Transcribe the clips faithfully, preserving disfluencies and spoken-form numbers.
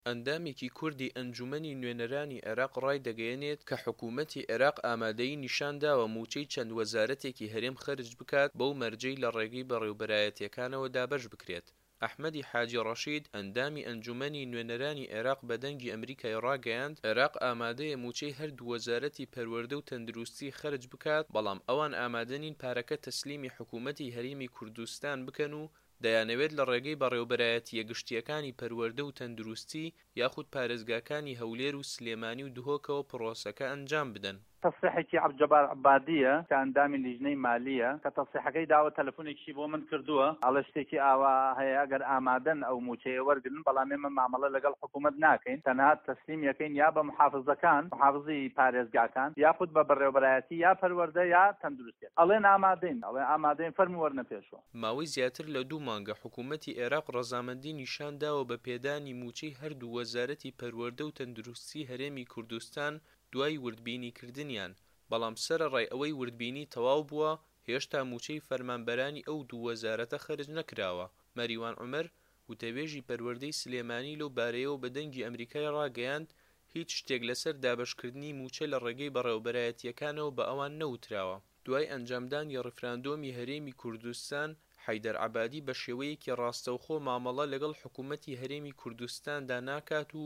ئەندامێکی کوردی ئەنجومەنی نوێنەرانی عێراق ڕایدەگەیەنێت کە حکومەتی عێراق ئامادەیی نیشانداوە موچەی چەند وەزارەتێکی هەرێم خەرج بکات بەو مەرجەی لە ڕێگەی بەڕێوبەرایەتیەکانەوە دابەش بکرێت. ئەحمەدی حاجی ڕەشید، ئەندامی ئەنجومەنی نوێنەرانی عێراق بە دەنگی ئەمریکای ڕاگەیاند، عێراق ئامادەیە موچەی هەردوو وەزارەتی پەروەردە و تەندروستی خەرج بکات، بەڵام ئەوان ئامادەنین پارەکە تەسلیمی حکومەتی هەرێمی کوردستان بکەن و دەیانەوێت لە ڕێگەی بەڕێوبەرایەتییە گشتییەکانی پەروەردە و تەندروستی یاخود پارێزگاکانی هەولێر و سلێمانی و دهۆکەوە پڕۆسەکە ئەنجام بدەن. تەسریحێکی عەبدولجەبار عەبادییە کە ئەندامی لیژنەی مالییە، کە تەسریحەکەی داوە تەلەفونێکیشی بۆ من کردووە، ئەڵێ شتێکی ئاوا هەیە ئەگەر ئامادەن ئەو موچەیە وەرگرن، بەڵام ئێمە مامەڵە لەگەڵ حکوومەت ناکەین، تەنها تەسلیم یەکەین یا بە محافزەکان، محافزی پارێزگاکان، یاخود بە بەڕێوبەرایەتی یا پەروەردە یا تەندروستیەک. ئەڵێن ئامادەین، ئەڵێ ئامادەین فەرموو وەرنە پێشەوە. ماوەی زیاتر لە دوو مانگە حکوومەتی عێراق ڕەزامەندی نیشان داوە بە پێدانی مووچەی هەردوو وەزارەتی پەروەردە و تەندروستی هەرێمی کوردستان دوای وردبینیکردنیان، بەڵام سەرەڕای ئەوەی وردبینی تەواو بووە، هێشتا مووچەی فەرمانبەرانی ئەو دوو وەزارەتە خەرج نەکراوە. مەریوان عومەر، وتەبێژی پەروەردەی سلێمانی لەو بارەیەوە بە دەنگی ئەمریکای ڕاگەیاند، هیچ شتێک لەسەر دابەشکردنی مووچە لە ڕێگەی بەڕێوبەرایەتییەکانەوە بە ئەوان نەوتراوە. دوای ئەنجامدانی ڕیفراندۆمی هەرێمی کوردستان، حەیدەر عەبادی بە شێوەیەکی ڕاستەوخۆ مامەڵە لەگەڵ حکومەتی هەرێمی کوردستاندا ناکات و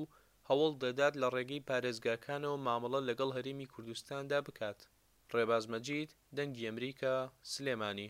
هەوڵ دەدات لە ڕێگەی پارێزگاکانەوە مامەڵە لەگەڵ هەرێمی کوردستاندا بکات. ڕێباز مەجید، دەنگی ئەمریکا، سلێمانی.